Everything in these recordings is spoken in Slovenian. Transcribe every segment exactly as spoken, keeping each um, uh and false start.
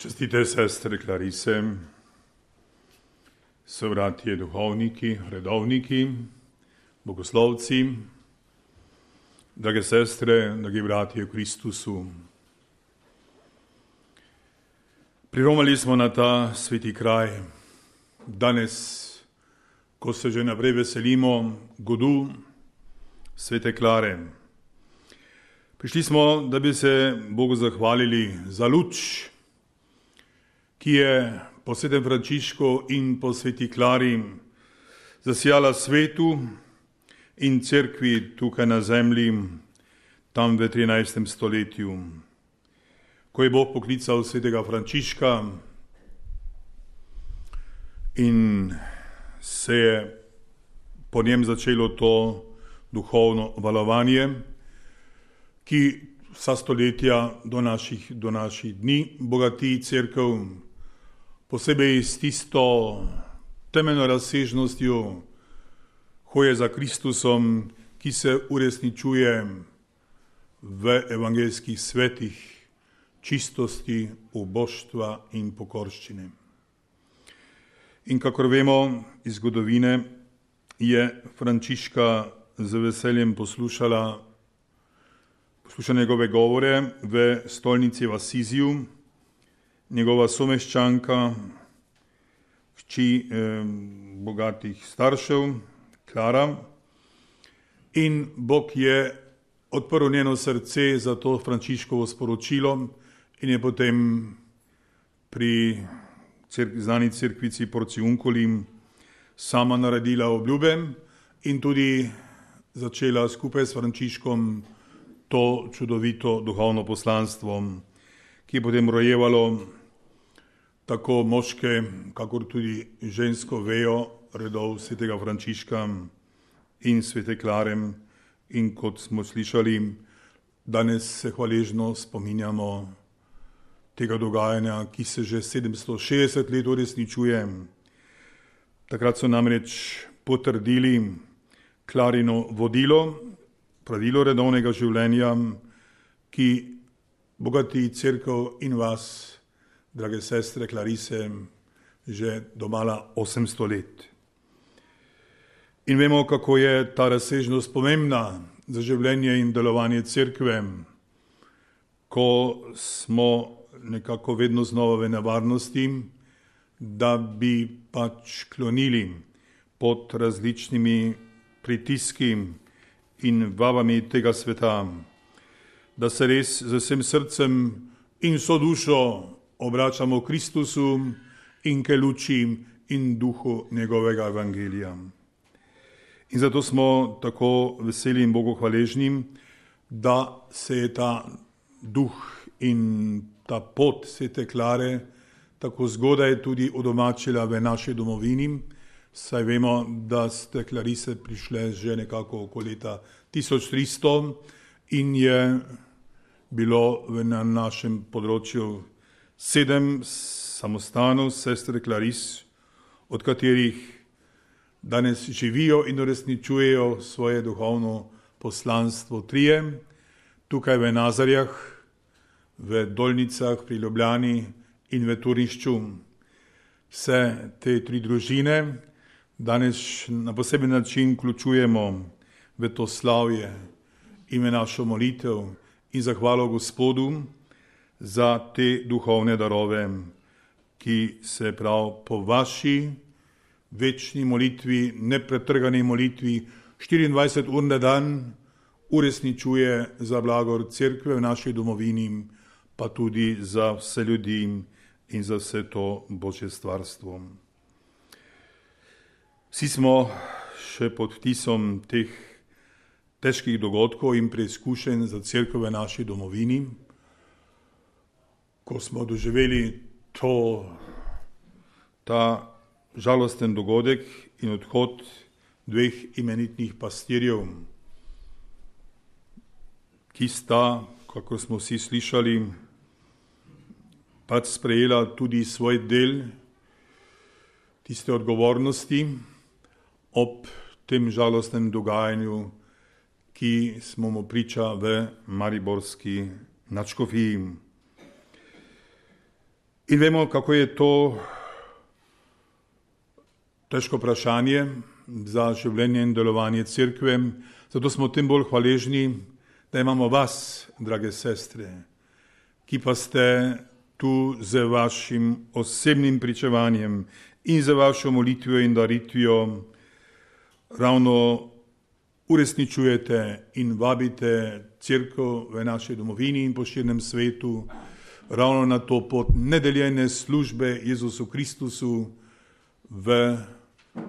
Čestite sestre Klarise, sovratje duhovniki, redovniki, bogoslovci, drage sestre, dragi bratje v Kristusu. Priromali smo na ta sveti kraj. Danes, ko se že naprej veselimo godu svete Klare. Prišli smo, da bi se Bogu zahvalili za luč, ki je po svetem Frančišku in po sveti Klari zasijala svetu in cerkvi tukaj na zemlji, tam v trinajstem stoletju. Ko je Bog poklical svetega Frančiška in se je po njem začelo to duhovno valovanje, ki vsa stoletja do naših, do naših dni bogati cerkev, posebej s tisto temeljno razsežnostjo hoje za Kristusom, ki se uresničuje v evangeljskih svetih čistosti, uboštva in pokorščine. In kakor vemo iz zgodovine, je Frančiška z veseljem poslušala, poslušala njegove govore v stolnici v Asiziju, njegova someščanka, hči eh, bogatih staršev, Klara, in Bog je odprl njeno srce za to Frančiškovo sporočilo in je potem pri cerk- znani cerkvici Porciunculi sama naredila obljube in tudi začela skupaj s Frančiškom to čudovito duhovno poslanstvo, ki je potem rojevalo tako moške, kakor tudi žensko vejo redov svetega Frančiška in svete Klare. In kot smo slišali, danes se hvaležno spominjamo tega dogajanja, ki se že sedemsto šestdeset let uresničuje. Takrat so namreč potrdili Klarino vodilo, pravilo redovnega življenja, ki bogati cerkev in vas, drage sestre Klarise, že domala osemsto let. In vemo, kako je ta razsežnost pomembna za življenje in delovanje cerkve, ko smo nekako vedno znova v nevarnosti, da bi pač klonili pod različnimi pritiski in vabami tega sveta, da se res z vsem srcem in vso dušo obračamo Kristusu in k luči in duhu njegovega evangelija. In zato smo tako veseli in Bogu hvaležni, da se je ta duh in ta pot svete Klare tako zgodaj tudi udomačila v naši domovini, saj vemo, da ste Klarise prišle že nekako okoli leta tisoč tristo in je bilo na našem področju sedem samostanov sestre Klaris, od katerih danes živijo in uresničujejo svoje duhovno poslanstvo trije, tukaj v Nazarjah, v Dolnicah pri Ljubljani in v Turnišču. Vse te tri družine danes na poseben način vključujemo v to slavje in v našo molitev in zahvalo Gospodu za te duhovne darove, ki se prav po vaši večni molitvi, nepretrgani molitvi, štiriindvajset ur na dan uresničuje za blagor cerkve v naši domovini, pa tudi za vse ljudi in za vse to Božje stvarstvo. Vsi smo še pod vtisom teh težkih dogodkov in preizkušenj za cerkev v naši domovini, ko smo doživeli to, ta žalosten dogodek in odhod dveh imenitnih pastirjev, ki sta, kako smo vsi slišali, pač sprejela tudi svoj del tiste odgovornosti ob tem žalostnem dogajanju, ki smo mu priča v mariborski nadškofiji. In vemo, kako je to težko vprašanje za življenje in delovanje cerkve, zato smo tem bolj hvaležni, da imamo vas, drage sestre, ki pa ste tu z vašim osebnim pričevanjem in za vašo molitvijo in daritvijo ravno uresničujete in vabite cerkev v naši domovini in po širnem svetu ravno na to pot nedeljene službe Jezusu Kristusu v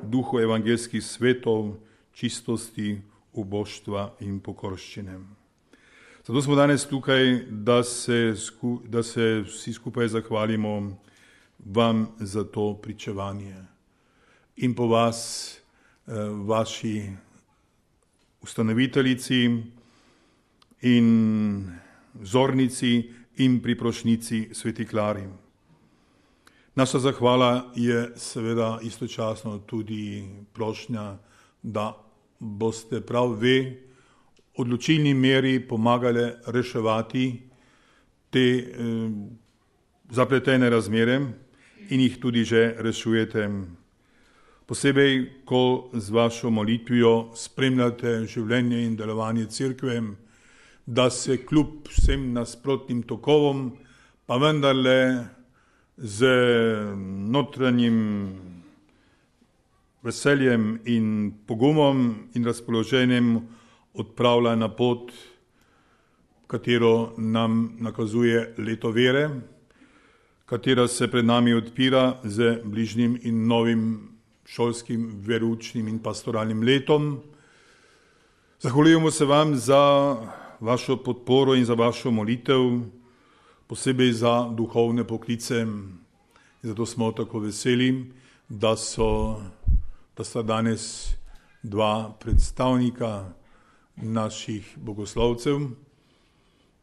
duhu evangelskih svetov, čistosti, uboštva in pokorščine. Zato smo danes tukaj, da se, da se vsi skupaj zahvalimo vam za to pričevanje in po vas, vaši ustanoviteljici in vzornici in priprošnici Sveti Klari. Naša zahvala je seveda istočasno tudi prošnja, da boste prav vi odločilni meri pomagali reševati te eh, zapletene razmere in jih tudi že rešujete. Posebej, ko z vašo molitvijo spremljate življenje in delovanje cerkve, da se kljub vsem nasprotnim tokovom, pa vendarle z notranjim veseljem in pogumom in razpoloženjem odpravlja na pot, katero nam nakazuje leto vere, katera se pred nami odpira z bližnjim in novim šolskim, veroučnim in pastoralnim letom. Zahvaljujemo se vam za vašo podporo in za vašo molitev, posebej za duhovne poklice. Zato smo tako veseli, da so, da sta danes dva predstavnika naših bogoslovcev,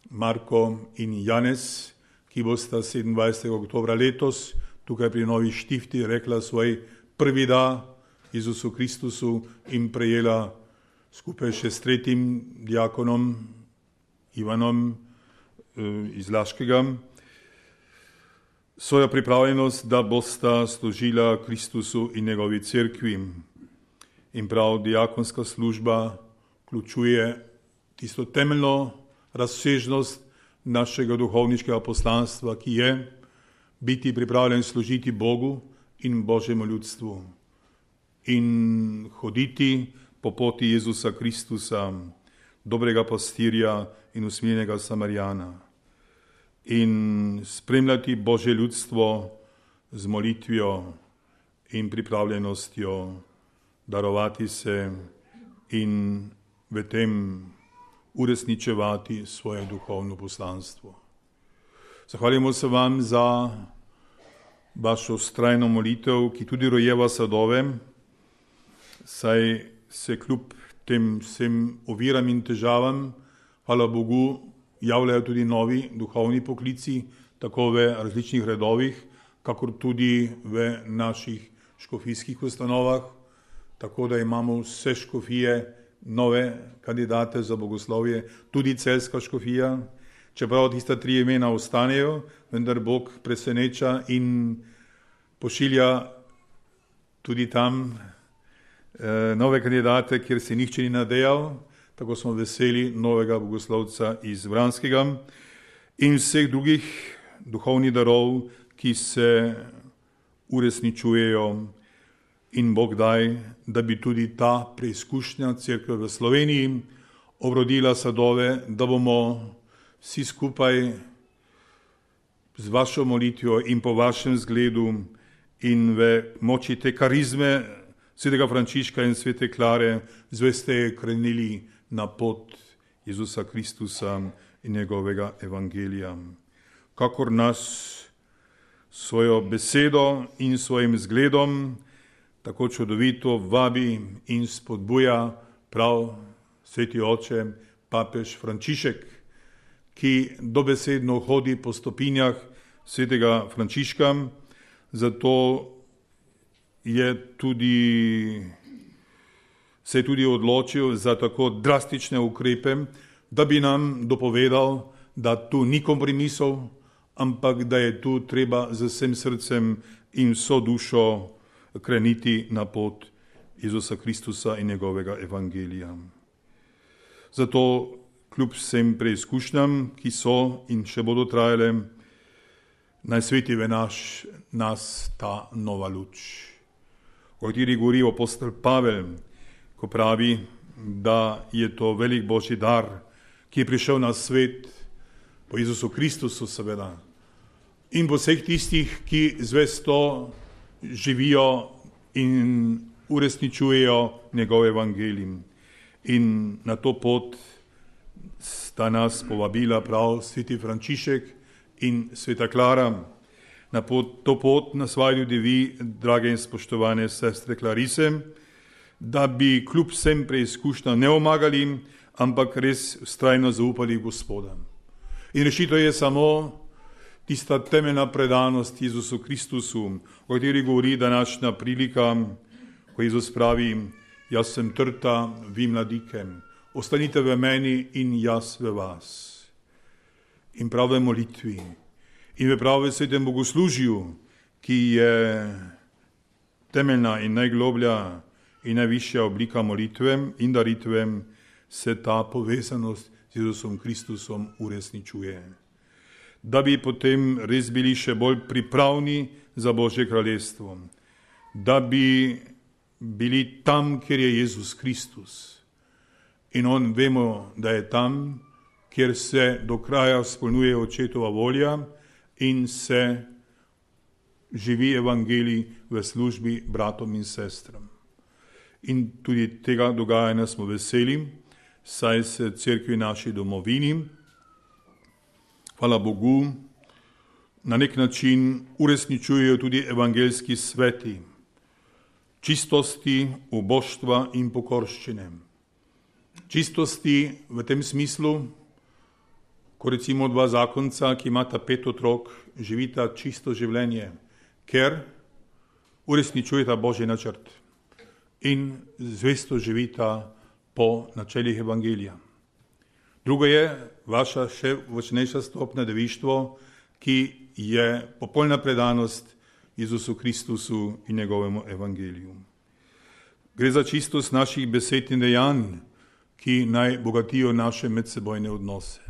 Marko in Janez, ki bosta sedemindvajsetega oktobra letos tukaj pri Novi Štifti rekla svoj prvi da Jezusu Kristusu in prejela skupaj še s tretjim diakonom Ivanom iz Laškega svojo pripravljenost, da bosta služila Kristusu in njegovi cerkvi. In prav diakonska služba vključuje tisto temeljno razsežnost našega duhovniškega poslanstva, ki je biti pripravljen služiti Bogu in Božjemu ljudstvu in hoditi po poti Jezusa Kristusa, dobrega pastirja in usmiljenega Samarijana in spremljati Božje ljudstvo z molitvijo in pripravljenostjo darovati se in v tem uresničevati svoje duhovno poslanstvo. Zahvaljujemo se vam za vašo vztrajno molitev, ki tudi rojeva sadove, saj se kljub tem vsem oviram in težavam, hvala Bogu, javljajo tudi novi duhovni poklici, tako v različnih redovih, kakor tudi v naših škofijskih ustanovah, tako da imamo vse škofije nove kandidate za bogoslovje, tudi celjska škofija, čeprav tista tri imena ostanejo, vendar Bog preseneča in pošilja tudi tam eh, nove kandidate, kjer se nihče ni nadejal. Tako smo veseli novega bogoslovca iz Vranskega in vseh drugih duhovnih darov, ki se uresničujejo. In Bog daj, da bi tudi ta preizkušnja cerkve v Sloveniji obrodila sadove, da bomo vsi skupaj z vašo molitvijo in po vašem zgledu in v moči te karizme svetega Frančiška in svete Klare zvesteje krenili na pot Jezusa Kristusa in njegovega evangelija. Kakor nas svojo besedo in svojim zgledom tako čudovito vabi in spodbuja prav sveti oče papež Frančišek, ki dobesedno hodi po stopinjah svetega Frančiška, zato je tudi, se je tudi odločil za tako drastične ukrepe, da bi nam dopovedal, da tu ni kompromisov, ampak da je tu treba z vsem srcem in vso dušo kreniti na pot Jezusa Kristusa in njegovega evangelija. Zato kljub vsem preizkušnjam, ki so in še bodo trajale, naj sveti v naš, nas ta nova luč, o kateri govori apostol Pavel, ko pravi, da je to velik Božji dar, ki je prišel na svet po Jezusu Kristusu seveda in po vseh tistih, ki zvesto živijo in uresničujejo njegov evangelij. In na to pot sta nas povabila prav sveti Frančišek in sveta Klara. Na pot, to pot nas vaju tudi vi, drage in spoštovane sestre Klarise, da bi kljub vsem preizkušnjam ne omagali, ampak res vztrajno zaupali v Gospoda. In rešitev je samo tista temeljna predanost Jezusu Kristusu, o kateri govori današnja prilika, ko Jezus pravi, jaz sem trta, vi mladike, ostanite v meni in jaz v vas. In prav v molitvi in v pravem svetem bogoslužju, ki je temeljna in najgloblja in najvišja oblika molitve in daritve, se ta povezanost z Jezusom Kristusom uresničuje. Da bi potem res bili še bolj pripravni za Božje kraljestvo, da bi bili tam, kjer je Jezus Kristus. In on vemo, da je tam, kjer se do kraja izpolnjuje očetova volja in se živi evangelij v službi bratom in sestram. In tudi tega dogajanja smo veseli, saj se cerkvi naši domovini, hvala Bogu, na nek način uresničujejo tudi evangeljski sveti, čistosti, uboštva in pokorščine. Čistosti v tem smislu, ko recimo dva zakonca, ki imata pet otrok, živita čisto življenje, ker uresničujeta Božji načrt in zvesto živita po načelih evangelija. Drugo je vaša še močnejša stopnja devištvo, ki je popolna predanost Jezusu Kristusu in njegovemu evangeliju. Gre za čistost naših besed in dejanj, ki naj bogatijo naše medsebojne odnose.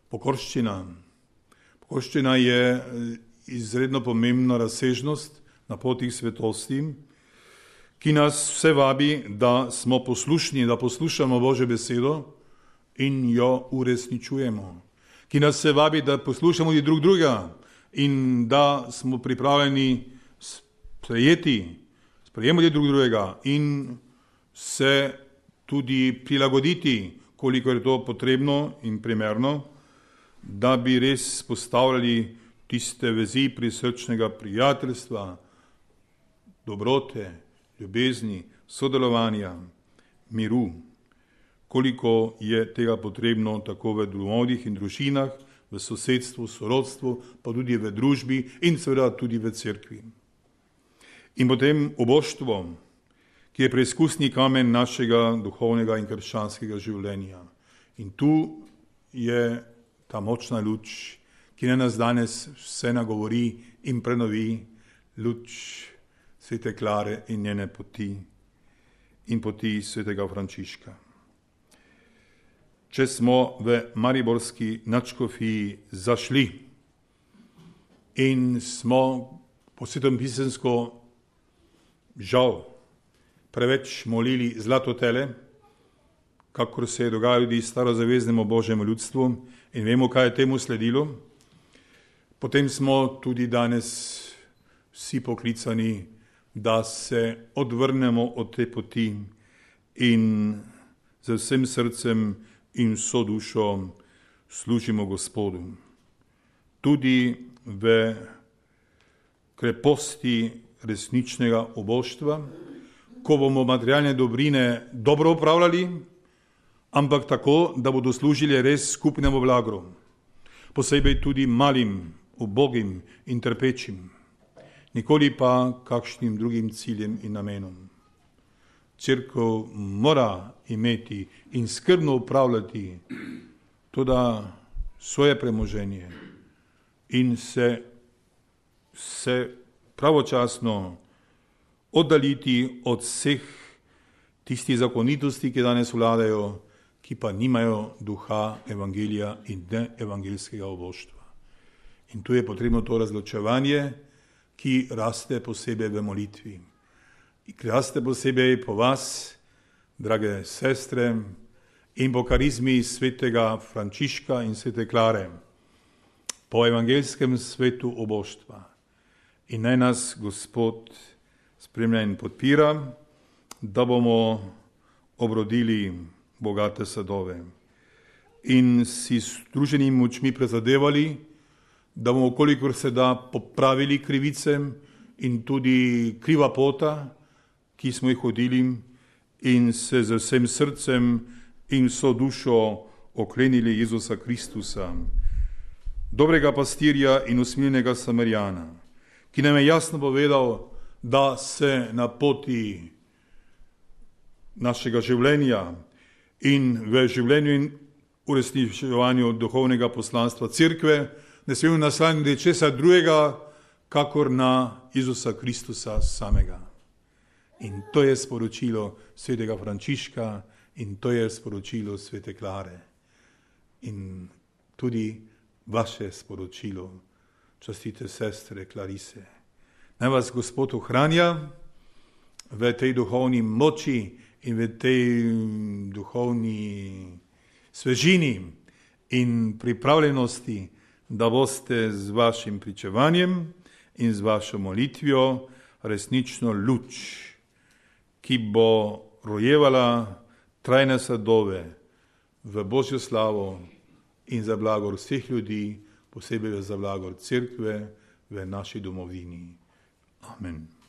Pokorščina. Pokorščina je izredno pomembna razsežnost na poti svetosti, ki nas vse vabi, da smo poslušni, da poslušamo Božjo besedo in jo uresničujemo. Ki nas vse vabi, da poslušamo tudi drug drugega in da smo pripravljeni sprejeti, sprejemati drug drugega in se tudi prilagoditi, koliko je to potrebno in primerno, da bi res postavljali tiste vezi prisrčnega prijateljstva, dobrote, ljubezni, sodelovanja, miru, koliko je tega potrebno tako v domovih in družinah, v sosedstvu, sorodstvu, pa tudi v družbi in seveda tudi v cerkvi. In potem oboštvo, ki je preizkusni kamen našega duhovnega in krščanskega življenja. In tu je ta močna luč, ki na nas danes vse nagovori in prenovi, luč svete Klare in njene poti in poti svetega Frančiška. Če smo v mariborski nadškofiji zašli in smo po svetem pisemsko žal preveč molili zlatotele, kakor se je dogajalo tudi starozaveznemu Božjemu ljudstvu in vemo, kaj je temu sledilo, potem smo tudi danes vsi poklicani, da se odvrnemo od te poti in z vsem srcem in vso dušo služimo Gospodu. Tudi v kreposti resničnega oboštva, ko bomo materialne dobrine dobro upravljali, ampak tako, da bodo služili res skupnemu blagru, posebej tudi malim, ubogim in trpečim, nikoli pa kakšnim drugim ciljem in namenom. Cerkev mora imeti in skrbno upravljati tudi svoje premoženje, in se, se pravočasno oddaliti od vseh tistih zakonitosti, ki danes vladajo, ki pa nimajo duha evangelija in ne evangeljskega oboštva. In tu je potrebno to razločevanje, ki raste posebej v molitvi. Ki raste posebej po vas, drage sestre, in po karizmi svetega Frančiška in svete Klare, po evangeljskem svetu oboštva. In naj nas Gospod spremlja in podpira, da bomo obrodili bogate sadove in si s združenimi močmi prizadevali, da bomo, kolikor se da, popravili krivice in tudi kriva pota, ki smo jih hodili, in se z vsem srcem in vso dušo oklenili Jezusa Kristusa, dobrega pastirja in usmiljenega Samarijana, ki nam je jasno povedal, da se na poti našega življenja in v življenju in uresničevanju duhovnega poslanstva Cerkve ne smemo naslanjati česa drugega, kakor na Jezusa Kristusa samega. In to je sporočilo svetega Frančiška in to je sporočilo svete Klare. In tudi vaše sporočilo, častite sestre Klarise. Naj vas Gospod ohranja v tej duhovni moči in v tej duhovni svežini in pripravljenosti, da boste z vašim pričevanjem in z vašo molitvijo resnično luč, ki bo rojevala trajne sadove v Božjo slavo in za blagor vseh ljudi, posebej za blagor Cerkve v naši domovini. Amen.